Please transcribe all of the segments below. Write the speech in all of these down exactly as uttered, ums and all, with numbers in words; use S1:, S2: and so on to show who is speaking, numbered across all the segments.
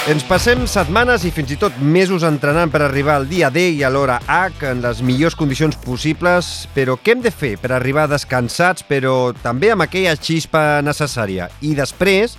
S1: Ens passem setmanes i fins i tot mesos entrenant per arribar al dia D i a l'hora H en les millors condicions possibles, però què hem de fer per arribar descansats, però també amb aquella xispa necessària? I després,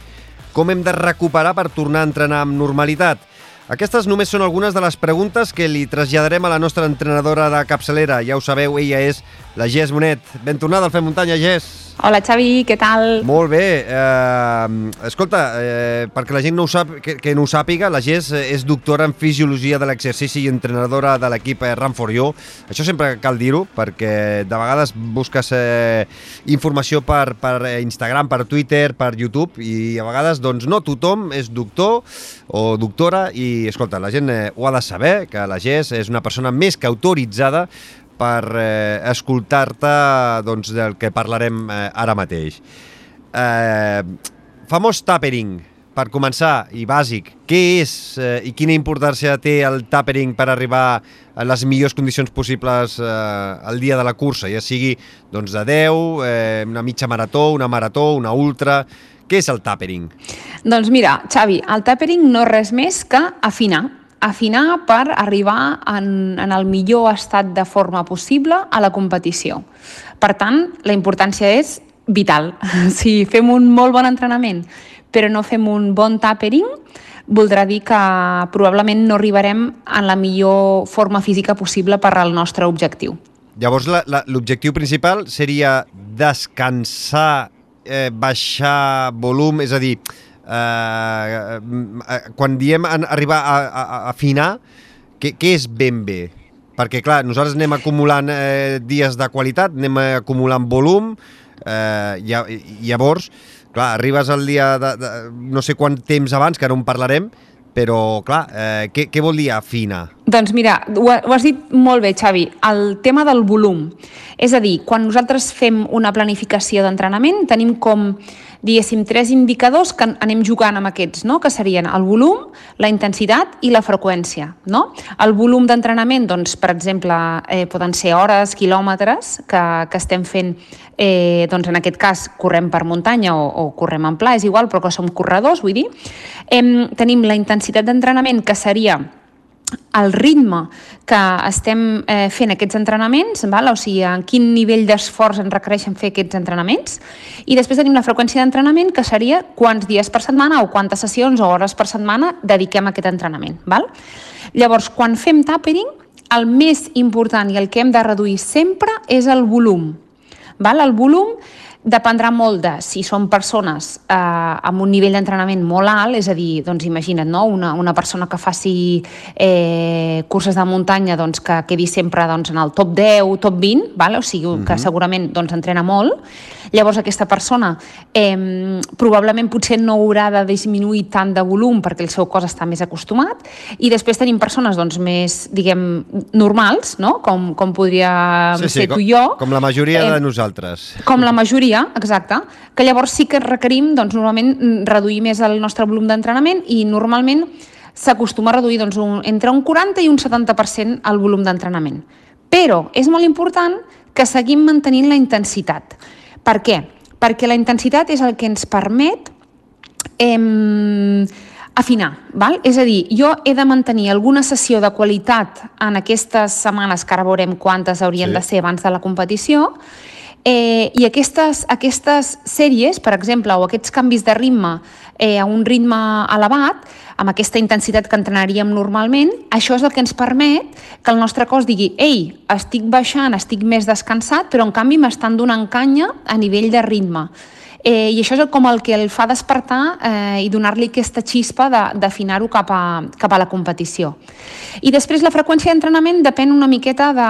S1: com hem de recuperar per tornar a entrenar amb normalitat? Aquestes només són algunes de les preguntes que li traslladarem a la nostra entrenadora de capçalera. Ja ho sabeu, ella és la Jess Bonet. Ben tornada al Fem Muntanya, Jess.
S2: Hola, Xavi, què tal?
S1: Molt bé. Eh, escolta, eh, perquè la gent no ho sap, que, que no ho sàpiga, la Jess és doctora en Fisiologia de l'Exercici i entrenadora de l'equip Run for You. Això sempre cal dir-ho, perquè de vegades busques eh, informació per, per Instagram, per Twitter, per YouTube, i a vegades doncs, no tothom és doctor o doctora, i escolta, la gent eh, ho ha de saber, que la Jess és una persona més que autoritzada per eh, escoltar-te doncs, del que parlarem eh, ara mateix. Eh, famós tapering, per començar, i bàsic, què és eh, i quina importància té el tapering per arribar a les millors condicions possibles eh, al dia de la cursa, ja sigui doncs, de deu, eh, una mitja marató, una marató, una ultra... Què és el tapering?
S2: Doncs mira, Xavi, el tapering no és res més que afinar. Afinar per arribar en, en el millor estat de forma possible a la competició. Per tant, la importància és vital. Si fem un molt bon entrenament però no fem un bon tapering, voldrà dir que probablement no arribarem en la millor forma física possible per al nostre objectiu.
S1: Llavors, l'objectiu principal seria descansar, eh, baixar volum, és a dir, Uh, uh, quan diem arribar a, a, a afinar, què, què és ben bé? Perquè, clar, nosaltres anem acumulant eh, dies de qualitat, anem acumulant volum, eh, i, llavors, clar, arribes al dia de, de no sé quant temps abans, que ara en parlarem, però, clar, eh, què, què vol dir afinar?
S2: Doncs mira, ho, ho has dit molt bé, Xavi, el tema del volum. És a dir, quan nosaltres fem una planificació d'entrenament, tenim com, diguéssim, tres indicadors que anem jugant amb aquests, no? Que serien el volum, la intensitat i la freqüència. No? El volum d'entrenament, doncs, per exemple, eh, poden ser hores, quilòmetres, que, que estem fent, eh, doncs, en aquest cas, correm per muntanya o, o correm en pla, és igual, però que som corredors, vull dir. Eh, tenim la intensitat d'entrenament, que seria el ritme que estem eh, fent aquests entrenaments, val? O sigui, en quin nivell d'esforç ens requereixen fer aquests entrenaments, i després tenim la freqüència d'entrenament, que seria quants dies per setmana o quantes sessions o hores per setmana dediquem a aquest entrenament. Val? Llavors, quan fem tapering, el més important i el que hem de reduir sempre és el volum. Val? El volum dependrà molt de si són persones eh, amb un nivell d'entrenament molt alt, és a dir, doncs imagina't, no? una, una persona que faci eh, curses de muntanya doncs, que quedi sempre doncs, en el top deu, top vint, val? O sigui, uh-huh. que segurament doncs, entrena molt. Llavors aquesta persona eh, probablement potser no haurà de disminuir tant de volum perquè el seu cos està més acostumat, i després tenim persones doncs, més, diguem, normals, no? com, com podria
S1: sí, sí,
S2: ser
S1: com,
S2: tu i jo.
S1: Com la majoria
S2: eh,
S1: de nosaltres.
S2: Com la majoria, exacte, que llavors sí que requerim doncs, normalment reduir més el nostre volum d'entrenament, i normalment s'acostuma a reduir doncs, un, entre un quaranta i un setanta per cent el volum d'entrenament. Però és molt important que seguim mantenint la intensitat. Per què? Perquè la intensitat és el que ens permet eh, afinar. Val? És a dir, jo he de mantenir alguna sessió de qualitat en aquestes setmanes, que ara veurem quantes haurien sí. de ser abans de la competició, Eh, i aquestes, aquestes sèries, per exemple, o aquests canvis de ritme eh, a un ritme elevat, amb aquesta intensitat que entrenaríem normalment, això és el que ens permet que el nostre cos digui ei, estic baixant, estic més descansat, però en canvi m'estan donant canya a nivell de ritme. Eh, I això és com el que el fa despertar eh, i donar-li aquesta xispa d'afinar-ho cap, a, cap a la competició. I després la freqüència d'entrenament depèn una miqueta de,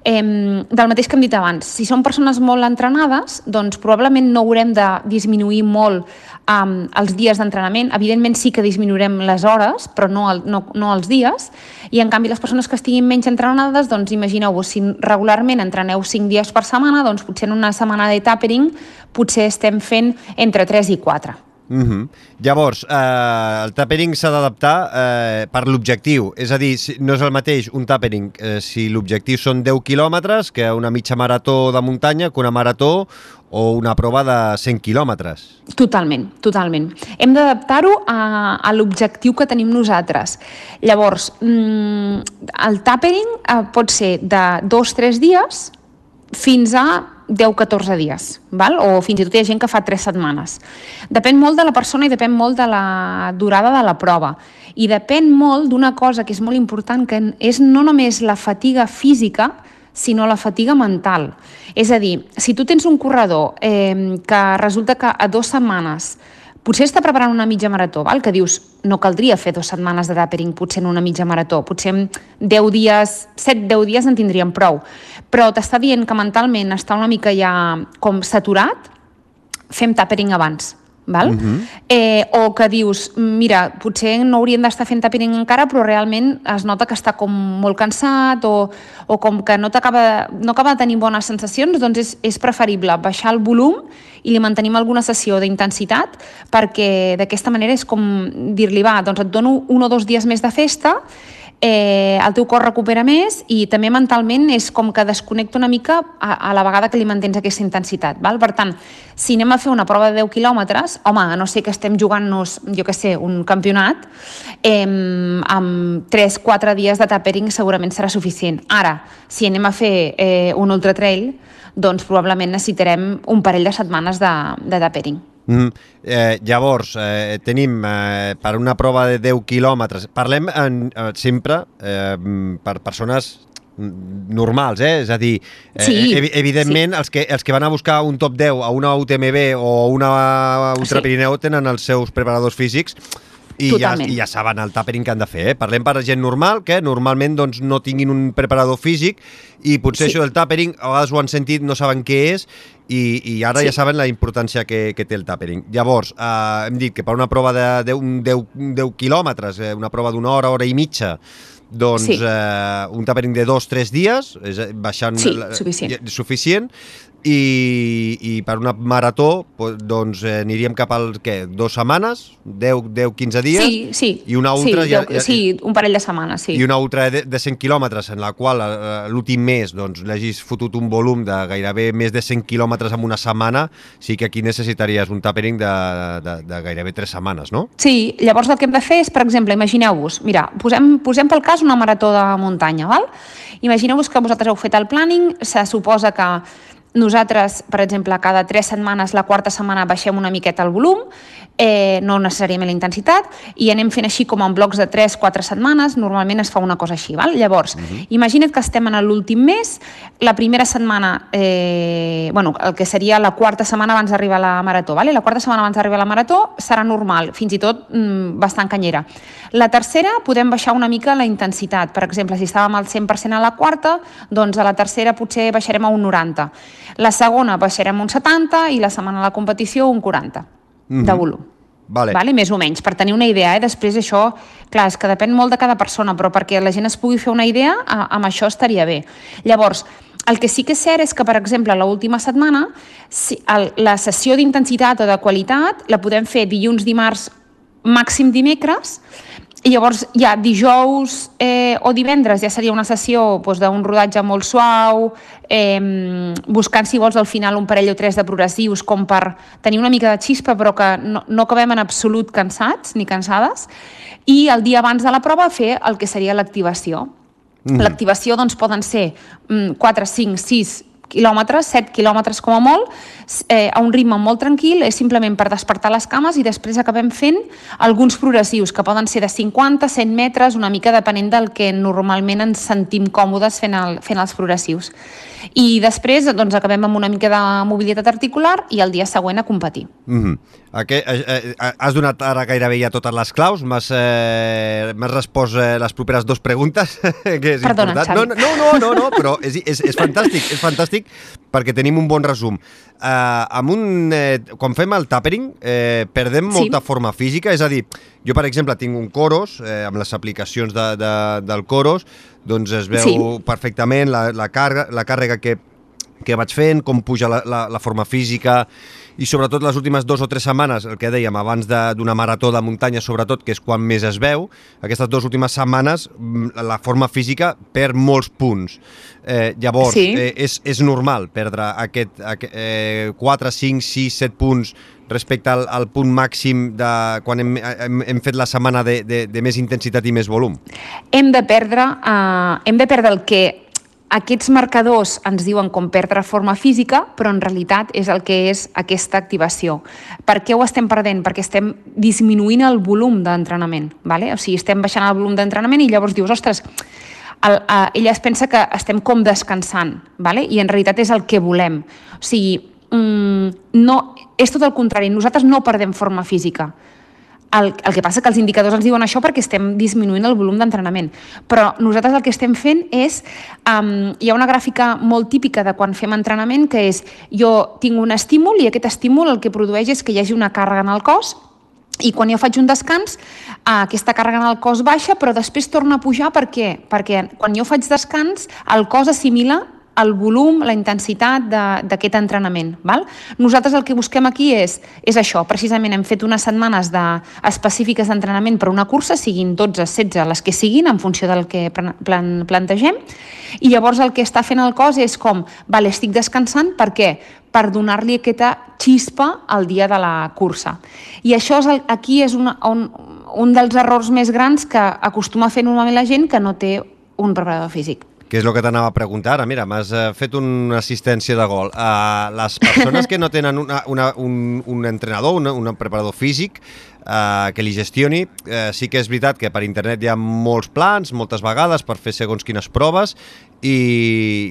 S2: eh, del mateix que hem dit abans. Si són persones molt entrenades, doncs probablement no haurem de disminuir molt um, els dies d'entrenament. Evidentment sí que disminuirem les hores, però no, el, no, no els dies. I en canvi les persones que estiguin menys entrenades, doncs imagineu-vos, si regularment entreneu cinc dies per setmana, doncs potser en una setmana de tapering potser estem fent entre tres i quatre.
S1: Uh-huh. Llavors, eh, el tapering s'ha d'adaptar eh, per l'objectiu, és a dir, si, no és el mateix un tapering eh, si l'objectiu són deu quilòmetres que una mitja marató de muntanya, que una marató o una prova de cent quilòmetres.
S2: Totalment, totalment. Hem d'adaptar-ho a, a l'objectiu que tenim nosaltres. Llavors, el tapering pot ser de dos o tres dies fins a deu a catorze dies, val? O fins i tot hi ha gent que fa tres setmanes. Depèn molt de la persona i depèn molt de la durada de la prova. I depèn molt d'una cosa que és molt important, que és no només la fatiga física, sinó la fatiga mental. És a dir, si tu tens un corredor eh, que resulta que a dues setmanes potser està preparant una mitja marató, val? Que dius, no caldria fer dues setmanes de tapering potser en una mitja marató, potser en deu dies, set deu dies en tindríem prou, però t'està dient que mentalment està una mica ja com saturat, fem tapering abans. Val? Uh-huh. eh, o que dius, mira, potser no hauríem d'estar fent tapering encara, però realment es nota que està com molt cansat o, o com que no, t'acaba, no acaba de tenir bones sensacions, doncs és, és preferible baixar el volum i li mantenim alguna sessió d'intensitat, perquè d'aquesta manera és com dir-li, va, doncs et dono un o dos dies més de festa, eh, el teu cor recupera més i també mentalment és com que desconnecta una mica a, a la vegada que li mantens aquesta intensitat. Val? Per tant, si anem a fer una prova de deu quilòmetres, home, a no ser que estem jugant-nos, jo què sé, un campionat, eh, amb tres o quatre dies de tapering segurament serà suficient. Ara, si anem a fer eh, un ultra trail, doncs probablement necessitarem un parell de setmanes de, de tapering.
S1: Mm, eh, llavors, eh, tenim eh, per una prova de deu quilòmetres, parlem en, eh, sempre eh, per persones normals, eh? És a dir, eh,
S2: sí,
S1: ev evidentment sí. els, que, els que van a buscar un top deu a una U T M B o una Ultra Pirineu sí. tenen els seus preparadors físics i ja, i ja saben el tapering que han de fer. Eh? Parlem per gent normal, que normalment doncs, no tinguin un preparador físic i potser sí. això del tapering, a vegades ho han sentit, no saben què és i, i ara sí. ja saben la importància que, que té el tapering. Llavors, eh, hem dit que per una prova de deu quilòmetres, eh, una prova d'una hora, hora i mitja, doncs sí. eh, un tapering de dos o tres dies, és, baixant
S2: sí, suficient.
S1: suficient i, i per una marató doncs eh, aniríem cap al què? Dues setmanes? deu a quinze dies?
S2: Sí, sí.
S1: I una ultra...
S2: Sí, ja, ja, sí, un parell de setmanes, sí.
S1: I una ultra de, de cent quilòmetres en la qual eh, l'últim mes doncs, l'hagis fotut un volum de gairebé més de cent quilòmetres en una setmana, sí que aquí necessitaries un tapering de, de, de gairebé tres setmanes, no?
S2: Sí, llavors el que hem de fer és, per exemple, imagineu-vos, mira, posem, posem pel cas una marató de muntanya, val? Imagineu-vos que vosaltres heu fet el planning, se suposa que nosaltres, per exemple, cada tres setmanes, la quarta setmana baixem una miqueta el volum, eh, no necessàriament la intensitat, i anem fent així com en blocs de tres o quatre setmanes, normalment es fa una cosa així. Val? Llavors, uh-huh. imagina't que estem en l'últim mes, la primera setmana, eh, bueno, el que seria la quarta setmana abans d'arribar a la marató, val? I la quarta setmana abans d'arribar a la marató serà normal, fins i tot mm, bastant canyera. La tercera podem baixar una mica la intensitat, per exemple, si estàvem al cent per cent a la quarta, doncs a la tercera potser baixarem a un noranta. La segona baixarem un setanta i la setmana de la competició un quaranta mm-hmm. de volum.
S1: Vale.
S2: Vale? Més o menys, per tenir una idea. Eh? Després això, clar, és que depèn molt de cada persona, però perquè la gent es pugui fer una idea, amb això estaria bé. Llavors, el que sí que és cert és que, per exemple, l'última setmana, si, el, la sessió d'intensitat o de qualitat la podem fer dilluns, dimarts, màxim dimecres, i llavors ja dijous eh, o divendres ja seria una sessió doncs, d'un rodatge molt suau, eh, buscant si vols al final un parell o tres de progressius com per tenir una mica de xispa però que no, no acabem en absolut cansats ni cansades, i el dia abans de la prova fer el que seria l'activació. Mm. L'activació doncs, poden ser mm, quatre, cinc, sis quilòmetres, set quilòmetres com a molt, eh, a un ritme molt tranquil, és simplement per despertar les cames i després acabem fent alguns progressius, que poden ser de cinquanta, cent metres, una mica depenent del que normalment ens sentim còmodes fent, el, fent els progressius. I després doncs, acabem amb una mica de mobilitat articular i el dia següent a competir.
S1: Mm-hmm. Aquest, eh, eh, has donat ara gairebé ja totes les claus, m'has eh, respost eh, les properes dues preguntes, que és
S2: Perdona,
S1: important.
S2: Xavi.
S1: No, no, no, no, no però és, és, és fantàstic, és fantàstic perquè tenim un bon resum. Eh, amb un, eh, quan fem el tapering eh, perdem
S2: sí.
S1: molta forma física, és a dir, jo per exemple tinc un Coros, eh, amb les aplicacions de, de, del Coros, doncs es veu sí. perfectament la, la, càrrega, la càrrega que que vaig fent, com puja la, la, la forma física i sobretot les últimes dues o tres setmanes, el que dèiem abans d'una marató de muntanya sobretot, que és quan més es veu, aquestes dues últimes setmanes la forma física perd molts punts. Eh, llavors, sí. eh, és, és normal perdre aquest, aquest eh, quatre, cinc, sis, set punts respecte al, al punt màxim de quan hem, hem, hem fet la setmana de, de, de més intensitat i més volum?
S2: Hem de perdre, uh, hem de perdre el que aquests marcadors ens diuen com perdre forma física, però en realitat és el que és aquesta activació. Per què ho estem perdent? Perquè estem disminuint el volum d'entrenament. ¿vale? O sigui, estem baixant el volum d'entrenament i llavors dius, ostres, el, uh, ella es pensa que estem com descansant, ¿vale? I en realitat és el que volem. O sigui, mm, no, és tot el contrari, nosaltres no perdem forma física. El, el que passa que els indicadors ens diuen això perquè estem disminuint el volum d'entrenament. Però nosaltres el que estem fent és... Um, hi ha una gràfica molt típica de quan fem entrenament que és jo tinc un estímul i aquest estímul el que produeix és que hi hagi una càrrega en el cos i quan jo faig un descans uh, aquesta càrrega en el cos baixa però després torna a pujar. Per què? Perquè quan jo faig descans el cos assimila el volum, la intensitat d'aquest entrenament. Val? Nosaltres el que busquem aquí és, és això, precisament hem fet unes setmanes de, específiques d'entrenament per una cursa, siguin dotze, setze, les que siguin, en funció del que plan, plantegem, i llavors el que està fent el cos és com, vale, estic descansant, per què? Per donar-li aquesta xispa al dia de la cursa. I això és el, aquí és una, un, un dels errors més grans que acostuma a fer normalment la gent que no té un preparador físic.
S1: Que és el que t'anava a preguntar ara. Mira, m'has fet una assistència de gol. Uh, les persones que no tenen una, una, un, un entrenador, un, un preparador físic uh, que li gestioni, uh, sí que és veritat que per internet hi ha molts plans, moltes vegades, per fer segons quines proves, i,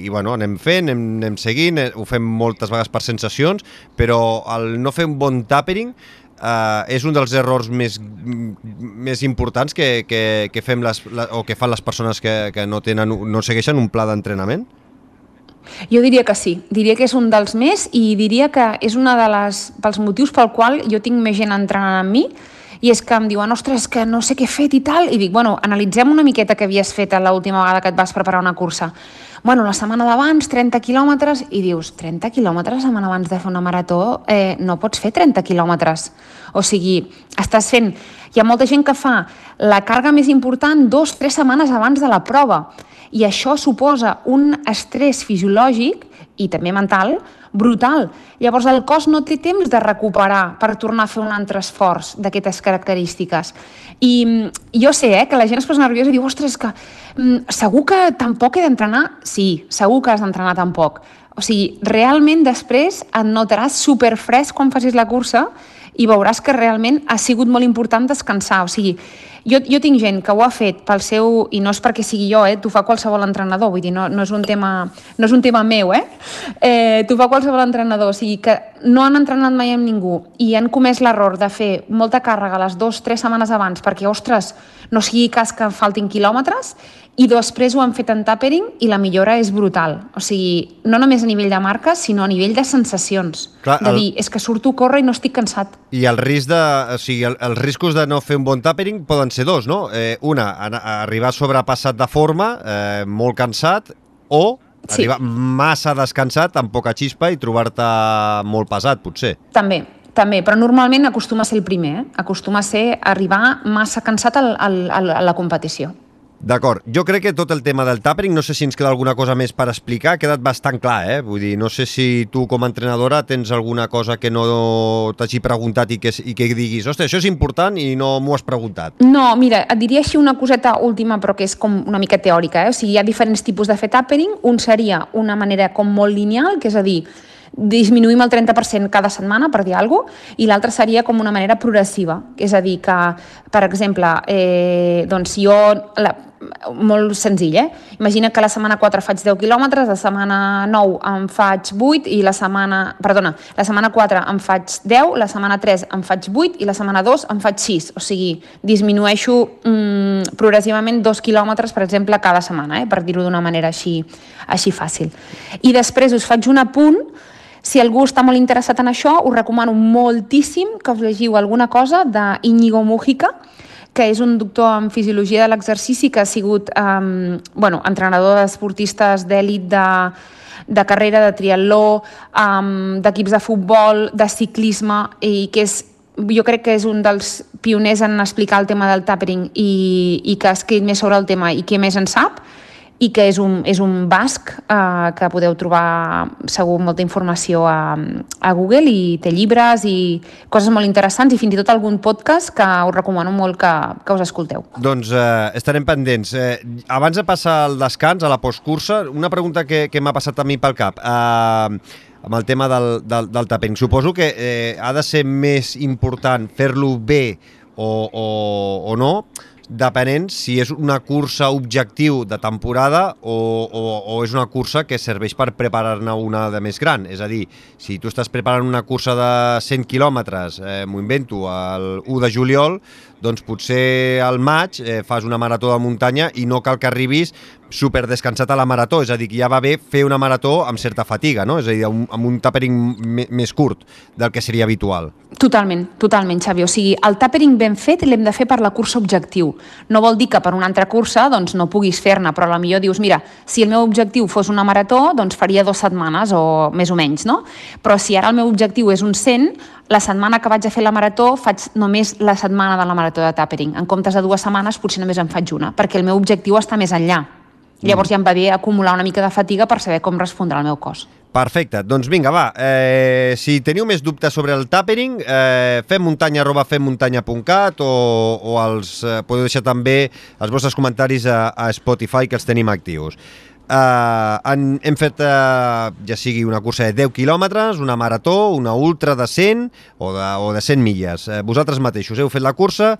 S1: i bueno, anem fent, anem, anem seguint, ho fem moltes vegades per sensacions, però el no fer un bon tapering Uh, és un dels errors més, més importants que, que, que fem les, la, o que fan les persones que, que no, tenen, no segueixen un pla d'entrenament?
S2: Jo diria que sí, diria que és un dels més i diria que és un de les, pels motius pel qual jo tinc més gent entrenant amb mi i és que em diuen, ostres, que no sé què he fet i tal, i dic, bueno, analitzem una miqueta què havies fet l'última vegada que et vas preparar una cursa. Bueno, la setmana d'abans, trenta quilòmetres, i dius, trenta quilòmetres la setmana abans de fer una marató, eh, no pots fer trenta quilòmetres. O sigui, estàs fent... Hi ha molta gent que fa la càrrega més important dos, tres setmanes abans de la prova, i això suposa un estrès fisiològic i també mental brutal. Llavors el cos no té temps de recuperar per tornar a fer un altre esforç d'aquestes característiques. I jo sé eh, que la gent es posa nerviosa i diu, ostres, que mm, segur que tampoc he d'entrenar? Sí, segur que has d'entrenar tampoc. O sigui, realment després et notaràs superfresc quan facis la cursa i veuràs que realment ha sigut molt important descansar. O sigui, jo, jo tinc gent que ho ha fet pel seu... I no és perquè sigui jo, eh? T'ho fa qualsevol entrenador, vull dir, no, no, és un tema, no és un tema meu, eh? eh t'ho fa qualsevol entrenador, o sigui que no han entrenat mai amb ningú i han comès l'error de fer molta càrrega les dues, tres setmanes abans perquè, ostres, no sigui cas que faltin quilòmetres, i després ho han fet en tapering i la millora és brutal. O sigui, no només a nivell de marques, sinó a nivell de sensacions. Clar, de el... dir, és que surto a córrer i no estic cansat.
S1: I el risc de, o sigui, el, els riscos de no fer un bon tapering poden ser dos, no? Eh, una, arribar sobrepassat de forma, eh, molt cansat, o sí. arribar massa descansat, amb poca xispa i trobar-te molt pesat, potser.
S2: També. També, però normalment acostuma a ser el primer, eh? Acostuma a ser arribar massa cansat al, al, al, a la competició.
S1: D'acord. Jo crec que tot el tema del tapering, no sé si ens queda alguna cosa més per explicar, ha quedat bastant clar, eh? Vull dir, no sé si tu com a entrenadora tens alguna cosa que no t'hagi preguntat i que, i que diguis, ostres, això és important i no m'ho has preguntat.
S2: No, mira, et diria així una coseta última, però que és com una mica teòrica, eh? O sigui, hi ha diferents tipus de fer tapering. Un seria una manera com molt lineal, que és a dir, disminuïm el trenta per cent cada setmana, per dir alguna cosa, i l'altra seria com una manera progressiva, és a dir, que, per exemple, eh, doncs jo, la, molt senzill, eh? Imagina que la setmana quatre faig deu quilòmetres, la setmana nou em faig vuit, i la setmana, perdona, la setmana quatre em faig deu, la setmana tres em faig vuit, i la setmana dos em faig sis, o sigui, disminueixo mm, progressivament dos quilòmetres, per exemple, cada setmana, eh? Per dir-ho d'una manera així, així fàcil. I després us faig un apunt. Si algú està molt interessat en això, us recomano moltíssim que us llegiu alguna cosa d'Iñigo Mújica, que és un doctor en fisiologia de l'exercici que ha sigut um, bueno, entrenador d'esportistes d'èlit de, de carrera, de triatló, um, d'equips de futbol, de ciclisme, i que és, jo crec que és un dels pioners en explicar el tema del tapering i, i que ha escrit més sobre el tema i que més en sap, i que és un, és un basc eh, que podeu trobar segur molta informació a, a Google, i té llibres i coses molt interessants, i fins i tot algun podcast que us recomano molt que, que us escolteu.
S1: Doncs eh, estarem pendents. Eh, abans de passar al descans, a la postcursa, una pregunta que, que m'ha passat a mi pel cap. Eh, amb el tema del, del, del tapering. Suposo que eh, ha de ser més important fer-lo bé o, o, o no, depenent si és una cursa objectiu de temporada o, o, o és una cursa que serveix per preparar-ne una de més gran. És a dir, si tu estàs preparant una cursa de cent quilòmetres, eh, m'ho invento, el u de juliol, doncs potser al maig eh, fas una marató de muntanya i no cal que arribis super descansat a la marató, és a dir, que ja va bé fer una marató amb certa fatiga, no? És a dir, amb, amb un tapering més curt del que seria habitual.
S2: Totalment, totalment, Xavi. O sigui, el tapering ben fet l'hem de fer per la cursa objectiu. No vol dir que per una altra cursa doncs, no puguis fer-ne, però potser dius, mira, si el meu objectiu fos una marató, doncs faria dues setmanes o més o menys, no? Però si ara el meu objectiu és un cent, la setmana que vaig a fer la marató faig només la setmana de la marató de tapering. En comptes de dues setmanes potser només en faig una, perquè el meu objectiu està més enllà. Llavors ja em va bé acumular una mica de fatiga per saber com respondrà el meu cos.
S1: Perfecte. Doncs vinga, va. Eh, si teniu més dubtes sobre el tapering, eh, femmuntanya arroba femmuntanya punt cat o, o els, eh, podeu deixar també els vostres comentaris a, a Spotify, que els tenim actius. Eh, han, hem fet, eh, ja sigui una cursa de deu quilòmetres, una marató, una ultra de cent o de, o de cent milles. Eh, vosaltres mateixos heu fet la cursa.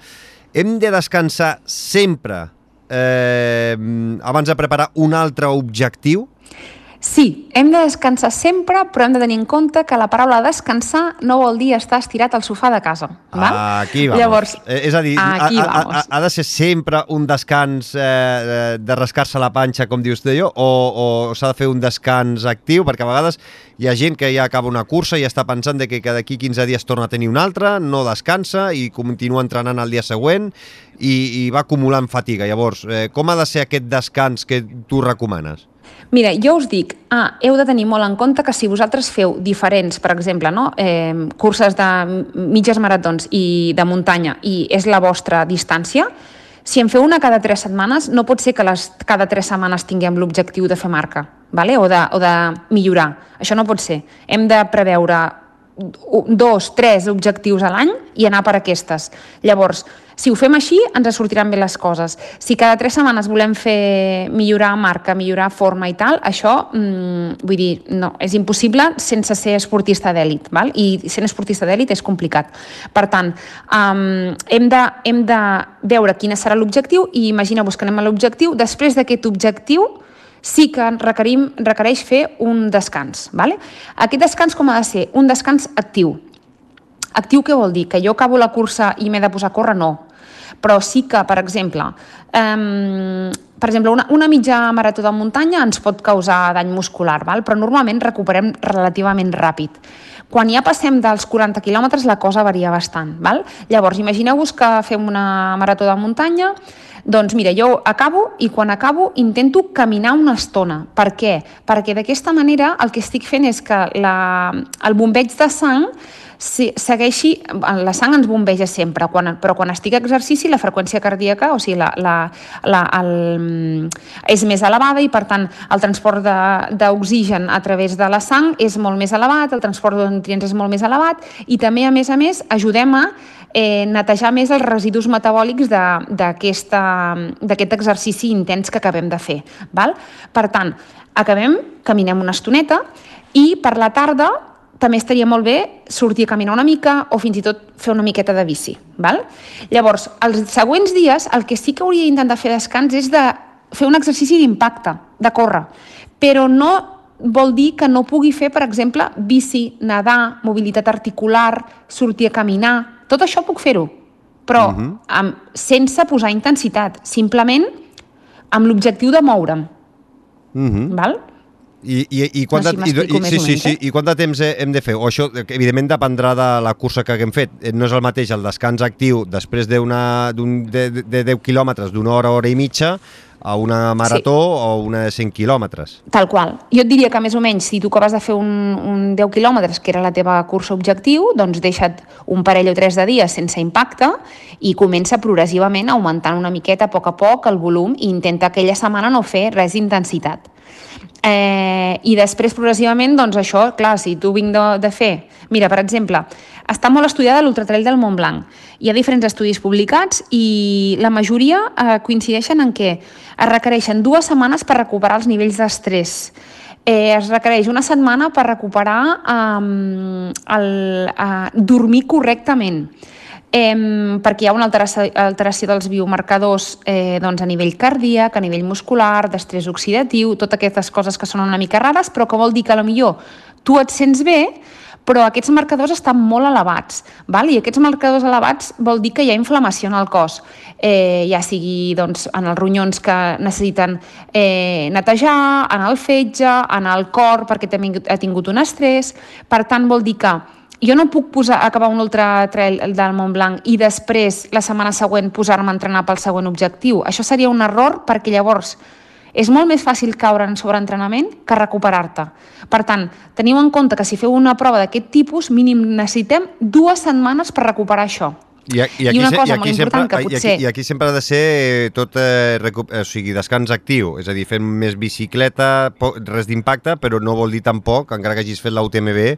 S1: Hem de descansar sempre Eh, abans de preparar un altre objectiu?
S2: Sí, hem de descansar sempre, però hem de tenir en compte que la paraula descansar no vol dir estar estirat al sofà de casa. Val?
S1: Aquí vamos.
S2: Llavors,
S1: eh, és a dir, ha, ha, ha de ser sempre un descans eh, de rascar-se la panxa, com dius tu, o, o s'ha de fer un descans actiu? Perquè a vegades hi ha gent que ja acaba una cursa i està pensant de que d'aquí quinze dies torna a tenir una altra, no descansa i continua entrenant el dia següent i, i va acumulant fatiga. Llavors, eh, com ha de ser aquest descans que tu recomanes?
S2: Mira, jo us dic, ah, heu de tenir molt en compte que si vosaltres feu diferents, per exemple, no? eh, curses de mitges maratons i de muntanya i és la vostra distància, si en feu una cada tres setmanes, no pot ser que les, cada tres setmanes tinguem l'objectiu de fer marca, vale? o, de, o de millorar. Això no pot ser. Hem de preveure dos, tres objectius a l'any i anar per aquestes. Llavors, si ho fem així, ens sortiran bé les coses. Si cada tres setmanes volem fer millorar marca, millorar forma i tal, això, mmm, vull dir, no, és impossible sense ser esportista d'èlit, val? I sent esportista d'èlit és complicat. Per tant, um, hem, de, hem de veure quin serà l'objectiu i imagineu-vos que anem a l'objectiu. Després d'aquest objectiu, sí que requerim, requereix fer un descans. Vale? Aquest descans com ha de ser? Un descans actiu. Actiu què vol dir? Que jo acabo la cursa i m'he de posar a córrer? No. Però sí que, per exemple, um, per exemple una, una mitja marató de muntanya ens pot causar dany muscular, val? Però normalment recuperem relativament ràpid. Quan ja passem dels quaranta quilòmetres la cosa varia bastant. Val? Llavors, imagineu-vos que fem una marató de muntanya. Doncs mira, jo acabo i quan acabo intento caminar una estona. Per què? Perquè d'aquesta manera el que estic fent és que la, el bombeig de sang segueixi, la sang ens bombeja sempre, quan, però quan estic a exercici la freqüència cardíaca, o sigui, la, la, la, el, és més elevada i per tant el transport d'oxigen a través de la sang és molt més elevat, el transport de nutrients és molt més elevat i també, a més a més, ajudem a eh, netejar més els residus metabòlics d'aquest exercici intens que acabem de fer. Val? Per tant, acabem, caminem una estoneta i per la tarda també estaria molt bé sortir a caminar una mica o fins i tot fer una miqueta de bici. Val? Llavors, els següents dies el que sí que hauria d'intentar fer descans és de fer un exercici d'impacte, de córrer, però no vol dir que no pugui fer, per exemple, bici, nedar, mobilitat articular, sortir a caminar, tot això puc fer-ho, però uh-huh. amb, sense posar intensitat, simplement amb l'objectiu de moure'm. Uh-huh. Val?
S1: I, i, i, quant de, no, si i, sí, sí, sí, I quant de temps hem de fer? O això, evidentment, dependrà de la cursa que haguem fet. No és el mateix el descans actiu després de, una, de, de deu quilòmetres, d'una hora, hora i mitja, a una marató sí. o una de cent quilòmetres.
S2: Tal qual. Jo et diria que més o menys, si tu acabes de fer un, un deu quilòmetres, que era la teva cursa objectiu, doncs deixa't un parell o tres de dies sense impacte i comença progressivament augmentant una miqueta a poc a poc el volum i intenta aquella setmana no fer res d'intensitat. Eh, I després progressivament, doncs això, clar, si tu vinc de, de fer... Mira, per exemple, està molt estudiada l'Ultratrail del Mont Blanc. Hi ha diferents estudis publicats i la majoria eh, coincideixen en què es requereixen dues setmanes per recuperar els nivells d'estrès. Eh, es requereix una setmana per recuperar eh, el, eh, dormir correctament. Eh, perquè hi ha una alteració, alteració dels biomarcadors eh, doncs a nivell cardíac, a nivell muscular, d'estrès oxidatiu, totes aquestes coses que són una mica rares, però que vol dir que potser tu et sents bé, però aquests marcadors estan molt elevats, val? I aquests marcadors elevats vol dir que hi ha inflamació en el cos, eh, ja sigui doncs, en els ronyons que necessiten eh, netejar, en el fetge, en el cor perquè també ha tingut un estrès. Per tant, vol dir que jo no puc posar, acabar un ultratrail del Mont Blanc i després, la setmana següent, posar-me a entrenar pel següent objectiu. Això seria un error perquè llavors és molt més fàcil caure en sobreentrenament que recuperar-te. Per tant, teniu en compte que si feu una prova d'aquest tipus, mínim necessitem dues setmanes per recuperar això.
S1: I, i, aquí, I una cosa i aquí molt important sempre, que potser... I aquí, I aquí sempre ha de ser tot eh, recup... o sigui, descans actiu, és a dir, fent més bicicleta, res d'impacte, però no vol dir tampoc, encara que hagis fet l'U T M B,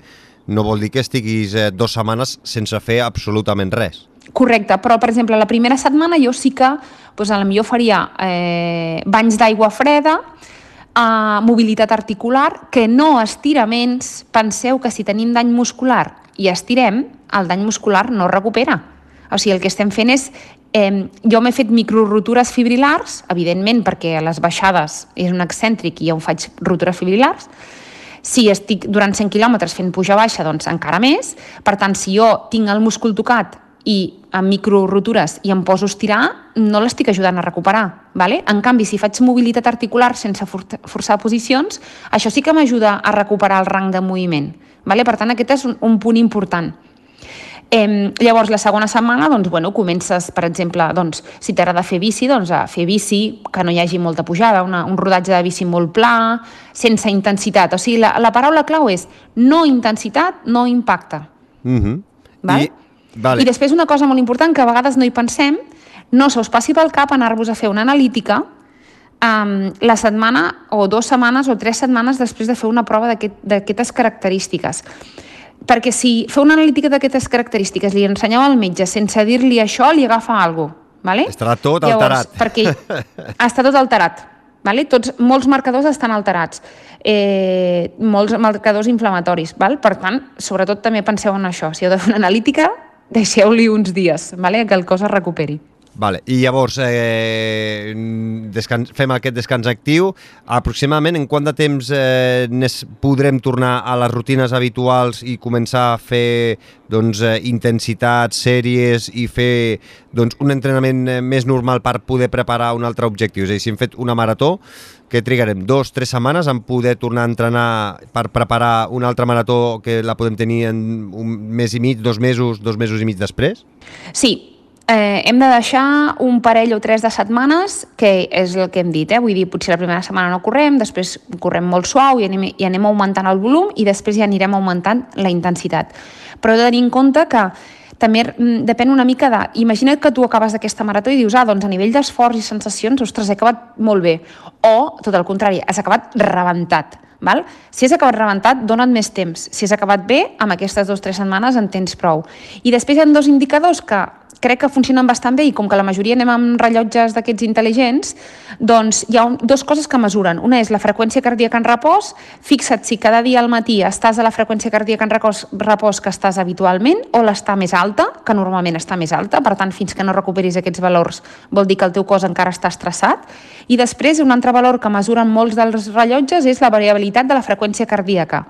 S1: no vol dir que estiguis eh, dues setmanes sense fer absolutament res.
S2: Correcte, però per exemple la primera setmana jo sí que doncs, a la millor faria eh, banys d'aigua freda, eh, mobilitat articular, que no estiraments. Penseu que si tenim dany muscular i estirem, el dany muscular no recupera. O sigui, el que estem fent és... Eh, jo m'he fet microrotures fibrilars, evidentment perquè a les baixades és un excèntric i jo em faig rotures fibrilars. Si estic durant cent quilòmetres fent puja-baixa, doncs encara més. Per tant, si jo tinc el múscul tocat i amb microrotures i em poso a estirar, no l'estic ajudant a recuperar. Vale? En canvi, si faig mobilitat articular sense forçar posicions, això sí que m'ajuda a recuperar el rang de moviment. Vale? Per tant, aquest és un, un punt important. Eh, llavors, la segona setmana, doncs, bueno, comences, per exemple, doncs, si t'agrada fer bici, doncs, a fer bici, que no hi hagi molta pujada, una, un rodatge de bici molt pla, sense intensitat. O sigui, la, la paraula clau és no intensitat, no impacte.
S1: Mm-hmm.
S2: Val? I... Vale. I després una cosa molt important que a vegades no hi pensem, no se us passi pel cap anar-vos a fer una analítica um, la setmana o dues setmanes o tres setmanes després de fer una prova d'aquestes característiques. Perquè si feu una analítica d'aquestes característiques, li ensenyeu al metge sense dir-li això, li agafa alguna cosa. Vale?
S1: Estarà tot
S2: Llavors,
S1: alterat.
S2: Perquè està tot alterat. Vale? Tots, molts marcadors estan alterats. Eh, molts marcadors inflamatoris. Val? Per tant, sobretot també penseu en això. Si heu de fer una analítica, deixeu-li uns dies, vale? Que el cos es recuperi.
S1: Vale. I llavors eh, descans, fem aquest descans actiu. Aproximadament en quant de temps eh, podrem tornar a les rutines habituals i començar a fer doncs, eh, intensitats, sèries i fer doncs, un entrenament més normal per poder preparar un altre objectiu? És a dir, si hem fet una marató, que trigarem dos, tres setmanes en poder tornar a entrenar per preparar una altra marató que la podem tenir en un mes i mig, dos mesos, dos mesos i mig després?
S2: Sí, eh, hem de deixar un parell o tres de setmanes, que és el que hem dit, eh? Vull dir, potser la primera setmana no correm, després correm molt suau i anem, i anem augmentant el volum i després ja anirem augmentant la intensitat. Però he de tenir en compte que també depèn una mica de... Imagina't que tu acabes d'aquesta marató i dius, ah, doncs a nivell d'esforç i sensacions, ostres, he acabat molt bé. O, tot el contrari, has acabat rebentat. Val? Si has acabat rebentat, dona't més temps. Si has acabat bé, amb aquestes dues o tres setmanes en tens prou. I després hi ha dos indicadors que crec que funcionen bastant bé i com que la majoria anem amb rellotges d'aquests intel·ligents, doncs hi ha un, dues coses que mesuren. Una és la freqüència cardíaca en repòs. Fixa't si cada dia al matí estàs a la freqüència cardíaca en repòs, repòs que estàs habitualment o l'està més alta, que normalment està més alta, per tant, fins que no recuperis aquests valors vol dir que el teu cos encara està estressat. I després, un altre valor que mesuren molts dels rellotges és la variabilitat de la freqüència cardíaca.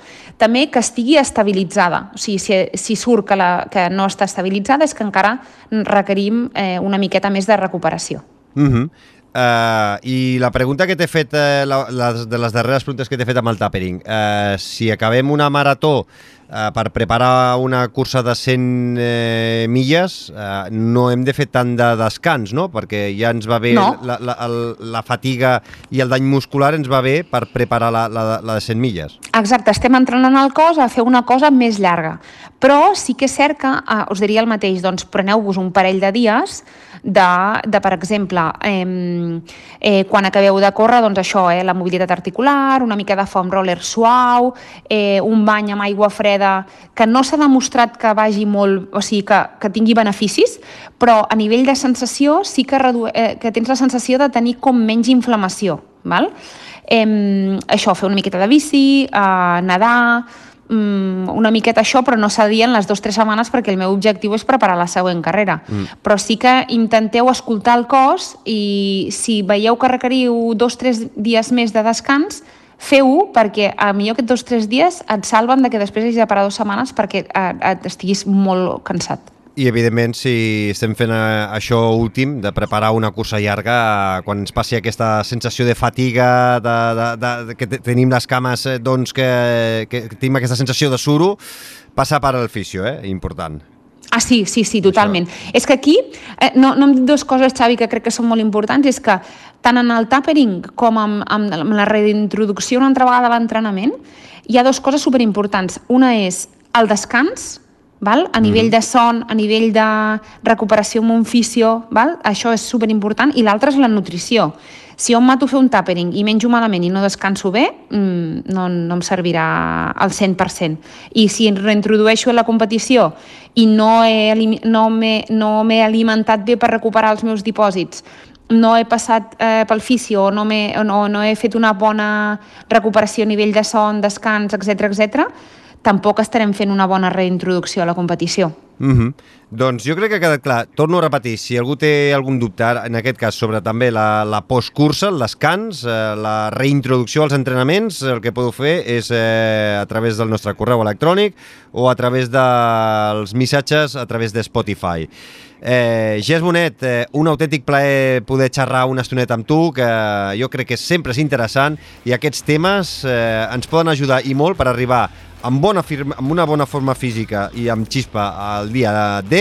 S2: També que estigui estabilitzada. O sigui, si, si surt que, la, que no està estabilitzada és que encara requerim eh, una miqueta més de recuperació.
S1: Uh-huh. uh, I la pregunta que t'he fet, uh, la, les, de les darreres preguntes que t'he fet amb el tapering, uh, si acabem una marató eh, per preparar una cursa de cent eh, milles eh, no hem de fer tant de descans, no? Perquè ja ens va bé
S2: no.
S1: la, la, el, la fatiga i el dany muscular ens va bé per preparar la, la, la de cent milles.
S2: Exacte, estem entrenant el cos a fer una cosa més llarga, però sí que és cert que, eh, us diria el mateix, doncs preneu-vos un parell de dies de, de per exemple, eh, eh, quan acabeu de córrer, doncs això, eh, la mobilitat articular, una mica de foam roller suau, eh, un bany amb aigua freda, que no s'ha demostrat que vagi molt, o sigui, que, que tingui beneficis, però a nivell de sensació sí que, redu... eh, que tens la sensació de tenir com menys inflamació, val? Eh, això, fer una miqueta de bici, eh, nedar, una miqueta això, però no s'ha de dir en les dues o tres setmanes perquè el meu objectiu és preparar la següent carrera. Mm. Però sí que intenteu escoltar el cos i si veieu que requeriu dos o tres dies més de descans, feu-ho perquè a millor aquests dos o tres dies et salven de que després hagis de parar dues setmanes perquè et estiguis molt cansat.
S1: I, evidentment, si estem fent això últim, de preparar una cursa llarga, quan ens passi aquesta sensació de fatiga, de, de, de, de que tenim les cames, doncs, que, que tenim aquesta sensació de suro, passar per al fisio, eh? Important.
S2: Ah, sí, sí, sí, totalment. Això. És que aquí, eh, no, no em dic dues coses, Xavi, que crec que són molt importants, és que tant en el tapering com amb, amb, amb la reintroducció una altra vegada a l'entrenament, hi ha dues coses superimportants. Una és el descans, val? A nivell de son, a nivell de recuperació amb un fisio, val? Això és superimportant, i l'altre és la nutrició. Si jo em mato a fer un tapering i menjo malament i no descanso bé, no, no em servirà al cent per cent. I si reintrodueixo a la competició i no he, no m'he, no m'he alimentat bé per recuperar els meus dipòsits, no he passat eh, pel fisio, no, no, no he fet una bona recuperació a nivell de son, descans, etcètera, etcètera, tampoc estarem fent una bona reintroducció a la competició.
S1: Mm-hmm. Doncs jo crec que ha quedat clar. Torno a repetir, si algú té algun dubte, en aquest cas sobre també la, la postcursa, el descans, eh, la reintroducció als entrenaments, el que podeu fer és eh, a través del nostre correu electrònic o a través dels missatges a través de Spotify. Eh, Jess Bonet, eh, un autèntic plaer poder xerrar una estoneta amb tu, que jo crec que sempre és interessant, i aquests temes eh, ens poden ajudar i molt per arribar amb, bona firma, amb una bona forma física i amb xispa al dia D,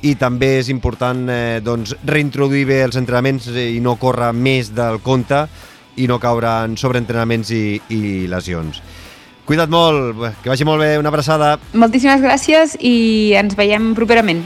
S1: i també és important eh, doncs, reintroduir bé els entrenaments i no córrer més del compte i no caure en sobreentrenaments i, i lesions. Cuida't molt, que vagi molt bé, una abraçada.
S2: Moltíssimes gràcies i ens veiem properament.